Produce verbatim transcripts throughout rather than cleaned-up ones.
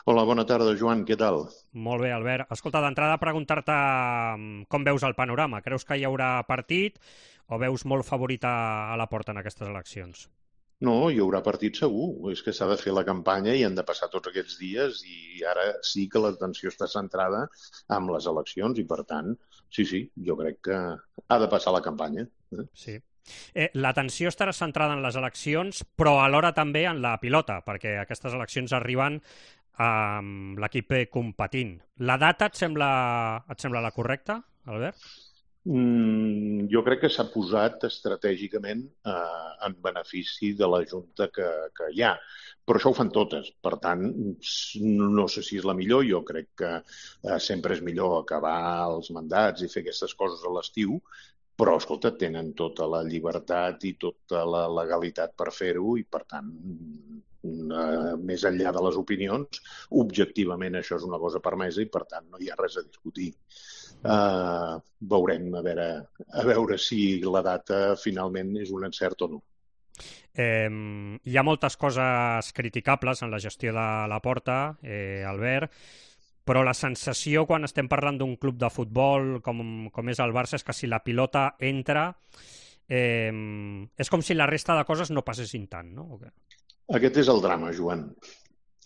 Hola, bona tarda, Joan, què tal? Molt bé, Albert. Escolta, d'entrada preguntar-te com veus el panorama. Creus que hi haurà partit o veus molt favorit a, a la porta en aquestes eleccions? No, hi haurà partit segur. És que s'ha de fer la campanya i han de passar tots aquests dies i ara sí que l'atenció està centrada en les eleccions i, per tant, sí, sí, jo crec que ha de passar la campanya. Eh? Sí. Eh, L'atenció estarà centrada en les eleccions, però alhora també en la pilota, perquè aquestes eleccions arriben amb l'equip competint. La data et sembla, et sembla la correcta, Albert? Mm, jo crec que s'ha posat estratègicament eh, en benefici de la Junta que, que hi ha, però això ho fan totes. Per tant, no sé si és la millor, jo crec que eh, sempre és millor acabar els mandats i fer aquestes coses a l'estiu, però, escolta, tenen tota la llibertat i tota la legalitat per fer-ho i, per tant, eh, més enllà de les opinions, objectivament això és una cosa permesa i, per tant, no hi ha res a discutir. Uh, veurem a veure, a veure si la data finalment és un encert o no. Eh, hi ha moltes coses criticables en la gestió de la Porta, eh, Albert, però la sensació quan estem parlant d'un club de futbol com, com és el Barça és que si la pilota entra eh, és com si la resta de coses no passessin tant, no? Okay. Aquest és el drama, Joan.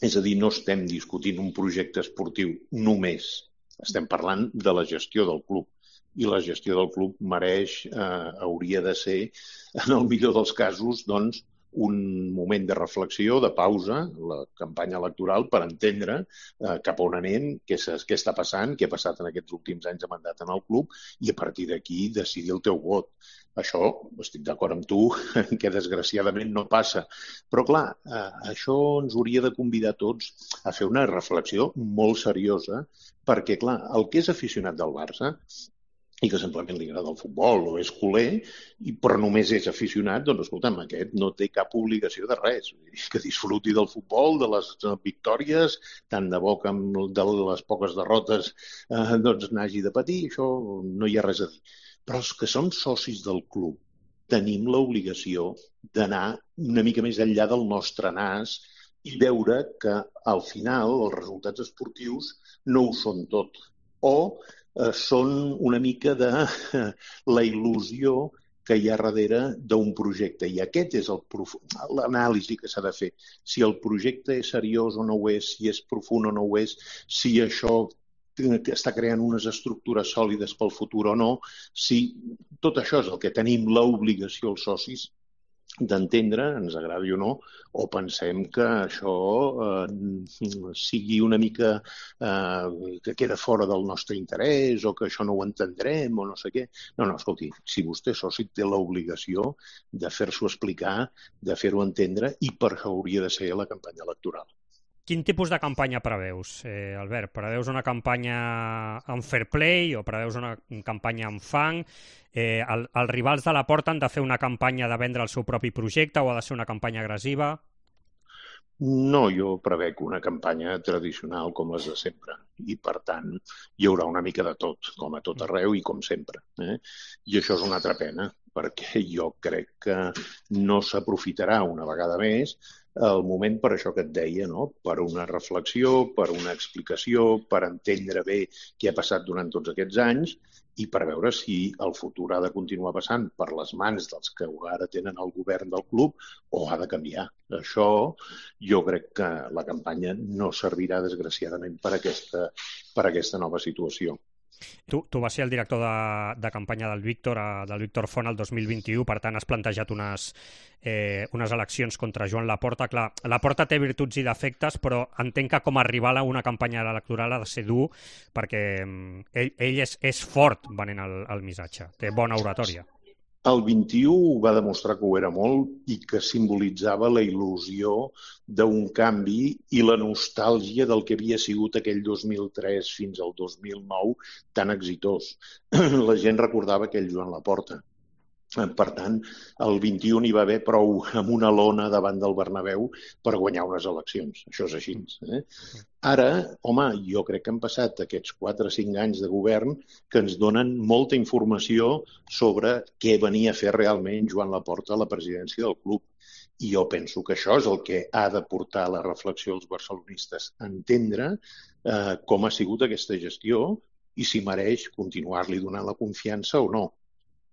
És a dir, no estem discutint un projecte esportiu només. Estem parlant de la gestió del club. I la gestió del club mereix, eh, hauria de ser, en el millor dels casos, doncs, un moment de reflexió, de pausa, la campanya electoral, per entendre eh, cap on anem, què, què està passant, què ha passat en aquests últims anys de mandat en el club, i a partir d'aquí decidir el teu vot. Això, estic d'acord amb tu, que desgraciadament no passa. Però, clar, eh, això ens hauria de convidar tots a fer una reflexió molt seriosa, perquè, clar, el que és aficionat del Barça i que simplement li agrada el futbol o és culer, i, però només és aficionat, doncs, escolta'm, aquest no té cap obligació de res. Que disfruti del futbol, de les victòries, tant de bo que amb de les poques derrotes eh, doncs n'hagi de patir, això no hi ha res a dir. Però els que som socis del club tenim l'obligació d'anar una mica més enllà del nostre nas i veure que al final els resultats esportius no ho són tot. O eh, són una mica de eh, la il·lusió que hi ha darrere d'un projecte. I aquest és el prof... l'anàlisi que s'ha de fer. Si el projecte és seriós o no ho és, si és profund o no ho és, si això està creant unes estructures sòlides pel futur o no, si tot això és el que tenim l'obligació els socis d'entendre, ens agradi o no, o pensem que això eh, sigui una mica eh, que queda fora del nostre interès o que això no ho entendrem o no sé què. No, no, escolti, si vostè soci té l'obligació de fer-s'ho explicar, de fer-ho entendre, i per això hauria de ser la campanya electoral. Quin tipus de campanya preveus, eh, Albert? Preveus una campanya amb fair play o preveus una campanya amb fang? Eh, el, els rivals de la Porta han de fer una campanya de vendre el seu propi projecte o ha de ser una campanya agressiva? No, jo prevec una campanya tradicional com les de sempre i, per tant, hi haurà una mica de tot, com a tot arreu i com sempre. Eh? I això és una altra pena, perquè jo crec que no s'aprofitarà una vegada més el moment per això que et deia, no? Per una reflexió, per una explicació, per entendre bé què ha passat durant tots aquests anys i per veure si el futur ha de continuar passant per les mans dels que ara tenen el govern del club o ha de canviar. Això jo crec que la campanya no servirà, desgraciadament, per aquesta, per aquesta nova situació. Tu, tu vas ser el director de, de campanya del Víctor, a, del Víctor Font el dos mil vint-i-u, per tant has plantejat unes, eh, unes eleccions contra Joan Laporta. Clar, Laporta té virtuts i defectes, però entenc que com a rival a una campanya electoral ha de ser dur, perquè ell, ell és, és fort venent el, el missatge, té bona oratòria. El vint-i-u va demostrar que ho era molt i que simbolitzava la il·lusió d'un canvi i la nostàlgia del que havia sigut aquell dos mil tres fins al dos mil nou tan exitós. La gent recordava aquell Joan Laporta. Per tant, el vint-i-u n'hi va haver prou amb una lona davant del Bernabéu per guanyar unes eleccions. Això és així. Eh? Ara, home, jo crec que han passat aquests quatre o cinc anys de govern que ens donen molta informació sobre què venia a fer realment Joan Laporta a la presidència del club. I jo penso que això és el que ha de portar la reflexió als barcelonistes, entendre eh, com ha sigut aquesta gestió i si mereix continuar-li donant la confiança o no.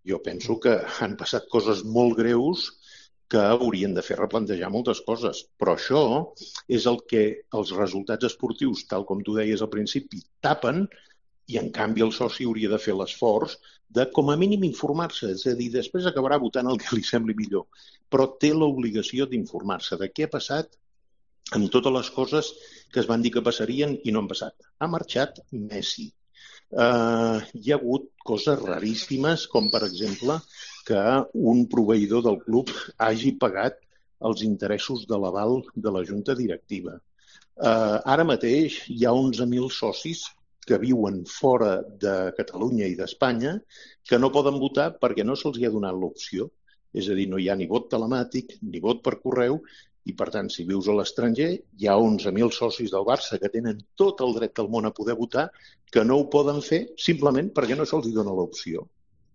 Jo penso que han passat coses molt greus que haurien de fer replantejar moltes coses, però això és el que els resultats esportius, tal com tu deies al principi, tapen, i en canvi el soci hauria de fer l'esforç de com a mínim informar-se, és a dir, després acabarà votant el que li sembli millor, però té l'obligació d'informar-se de què ha passat amb totes les coses que es van dir que passarien i no han passat. Ha marxat Messi. Uh, hi ha hagut coses raríssimes, com per exemple que un proveïdor del club hagi pagat els interessos de l'aval de la junta directiva. Uh, ara mateix hi ha onze mil socis que viuen fora de Catalunya i d'Espanya que no poden votar perquè no se'ls ha donat l'opció. És a dir, no hi ha ni vot telemàtic ni vot per correu i, per tant, si vius a l'estranger, hi ha onze mil socis del Barça que tenen tot el dret del món a poder votar que no ho poden fer simplement perquè no se'ls dona l'opció.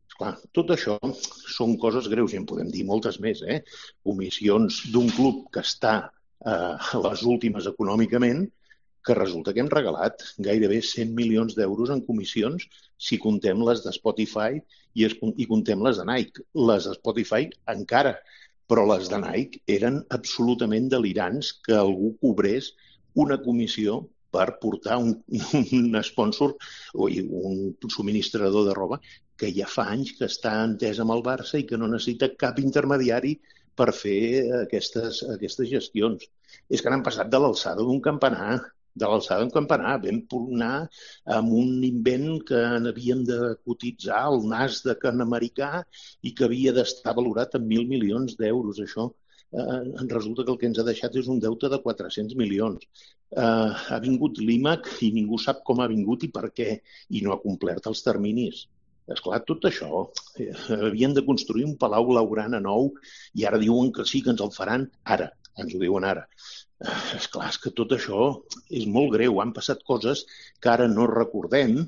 Esclar, tot això són coses greus i en podem dir moltes més, eh? Comissions d'un club que està eh, a les últimes econòmicament, que resulta que hem regalat gairebé cent milions d'euros en comissions si contem les de Spotify i, es, i contem les de Nike. Les de Spotify encara, però les de Nike eren absolutament delirants que algú cobrés una comissió per portar un, un sponsor o un subministrador de roba que ja fa anys que està entès amb el Barça i que no necessita cap intermediari per fer aquestes, aquestes gestions. És que han passat de l'alçada d'un campanar, de l'alçada d'un campanar. Vam anar amb un invent que havíem de cotitzar al nas de can americà i que havia d'estar valorat en mil milions d'euros. Això eh, resulta que el que ens ha deixat és un deute de quatre-cents milions. Eh, ha vingut l'I M A C i ningú sap com ha vingut i per què, i no ha complert els terminis. Esclar, tot això, eh, havien de construir un palau blaugrana nou i ara diuen que sí, que ens el faran ara, ens ho diuen ara. Esclar, és que tot això és molt greu. Han passat coses que ara no recordem,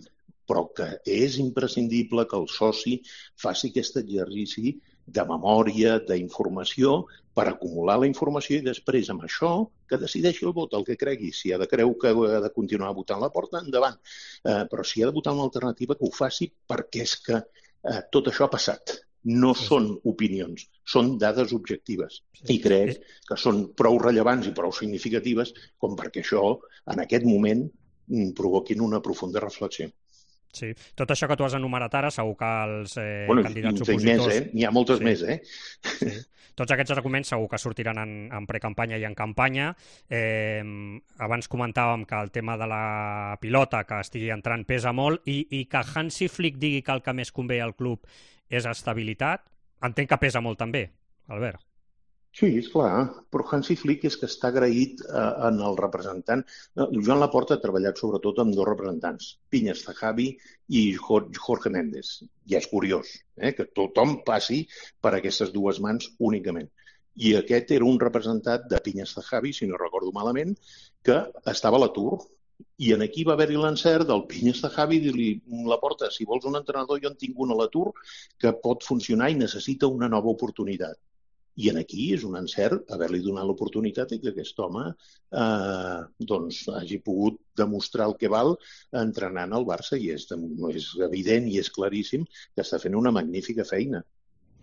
però que és imprescindible que el soci faci aquest exercici de memòria, d'informació, per acumular la informació i després amb això que decideixi el vot, el que cregui. Si ha de creu que ha de continuar votant la porta, endavant. Eh, però si ha de votar una alternativa, que ho faci perquè és que eh, tot això ha passat. No sí, són opinions, són dades objectives. Sí, I crec sí. que són prou rellevants i prou significatives com perquè això, en aquest moment, provoquin una profunda reflexió. Sí, tot això que tu has enumerat ara, segur que els eh, bueno, candidats opositors... Més, eh? N'hi ha moltes sí. més, eh? Sí. Tots aquests arguments segur que sortiran en, en precampanya i en campanya. Eh, abans comentàvem que el tema de la pilota que estigui entrant pesa molt i, i que Hansi Flick digui que el que més convé al club és estabilitat, entenc que pesa molt també, Albert. Sí, és clar, però Hansi Flick és que està agraït eh, en el representant. Joan Laporta ha treballat sobretot amb dos representants, Piñas Zahavi i Jorge Méndez. I és curiós eh, que tothom passi per aquestes dues mans únicament. I aquest era un representant de Piñas Zahavi, si no recordo malament, que estava a l'atur. I en aquí va haver-hi l'encert del Piñas Zahavi i dir-li, Laporta, si vols un entrenador, jo en tinc un a l'atur que pot funcionar i necessita una nova oportunitat. I en aquí és un encert haver-li donat l'oportunitat i que aquest home eh, doncs, hagi pogut demostrar el que val entrenant al Barça i és, és evident i és claríssim que està fent una magnífica feina.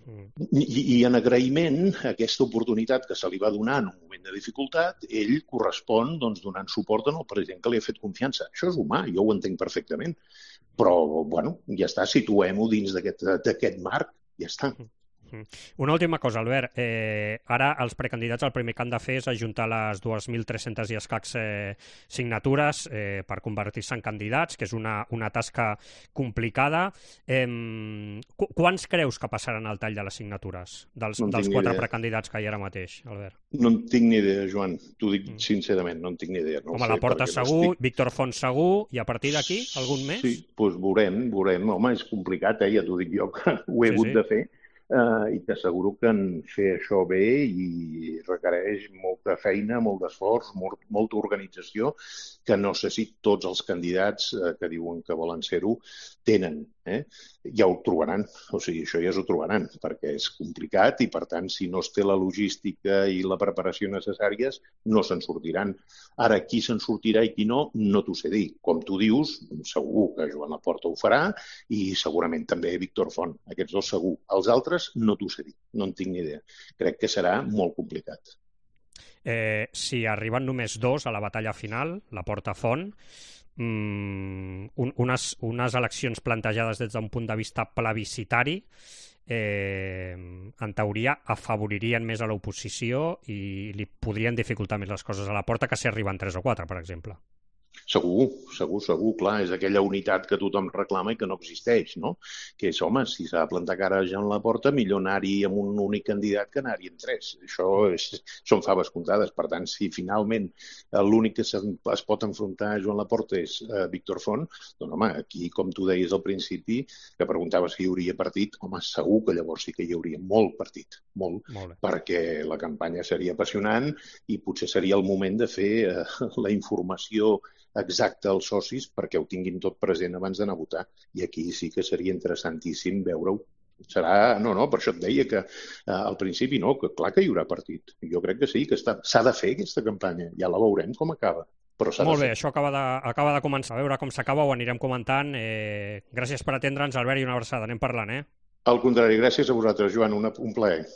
Mm. I, I en agraïment a aquesta oportunitat que se li va donar en un moment de dificultat, ell correspon doncs, donant suport al president que li ha fet confiança. Això és humà, jo ho entenc perfectament. Però, bueno, ja està, situem-ho dins d'aquest marc, ja està. Mm. Una última cosa, Albert. Eh, ara els precandidats el primer que han de fer és ajuntar les dues mil tres-centes i escacs eh, signatures eh, per convertir-se en candidats, que és una, una tasca complicada. Eh, qu quants creus que passaran al tall de les signatures dels, no dels quatre idea. precandidats que hi ha ara mateix, Albert? No en tinc ni idea, Joan. T'ho dic mm. sincerament, no en tinc ni idea. No Home, Laporta segur, no estic... Víctor Font segur, i a partir d'aquí, algun més? Sí, doncs veurem, veurem. Home, és complicat, eh? Ja t'ho dic jo, que ho he sí, hagut sí. de fer. eh, i t'asseguro que en fer això bé i requereix molta feina, molt d'esforç, molt, molta organització, que no sé si tots els candidats eh, que diuen que volen ser-ho tenen. Eh? Ja ho trobaran, o sigui, això ja s'ho trobaran, perquè és complicat i, per tant, si no es té la logística i la preparació necessàries, no se'n sortiran. Ara, qui se'n sortirà i qui no, no t'ho sé dir. Com tu dius, segur que Joan Laporta ho farà i segurament també Víctor Font. Aquests dos segur. Els altres no t'ho sé dir, no en tinc ni idea. Crec que serà molt complicat. Eh, si arriben només dos a la batalla final, Laporta Font, mmm, un, unes, unes eleccions plantejades des d'un punt de vista plebiscitari, eh, en teoria afavoririen més a l'oposició i li podrien dificultar més les coses a Laporta que si arriben tres o quatre, per exemple. Segur, segur, segur, clar, és aquella unitat que tothom reclama i que no existeix, no? Que és, home, si s'ha de plantar cara a Joan Laporta, millor anar-hi amb un únic candidat que anar-hi amb tres. Això és, són faves comptades. Per tant, si finalment l'únic que es pot enfrontar a Joan Laporta és uh, Víctor Font, doncs, home, aquí, com tu deies al principi, que preguntaves si hi hauria partit, home, segur que llavors sí que hi hauria molt partit, molt, molt perquè la campanya seria apassionant i potser seria el moment de fer uh, la informació exacte als socis perquè ho tinguin tot present abans d'anar a votar. I aquí sí que seria interessantíssim veure-ho. Serà... No, no, per això et deia que eh, al principi no, que clar que hi haurà partit. Jo crec que sí, que està... s'ha de fer aquesta campanya. Ja la veurem com acaba. Però molt bé, això acaba de, acaba de començar. A veure com s'acaba, ho anirem comentant. Eh, gràcies per atendre'ns, Albert, i una abraçada. Anem parlant, eh? Al contrari, gràcies a vosaltres, Joan, una, un plaer.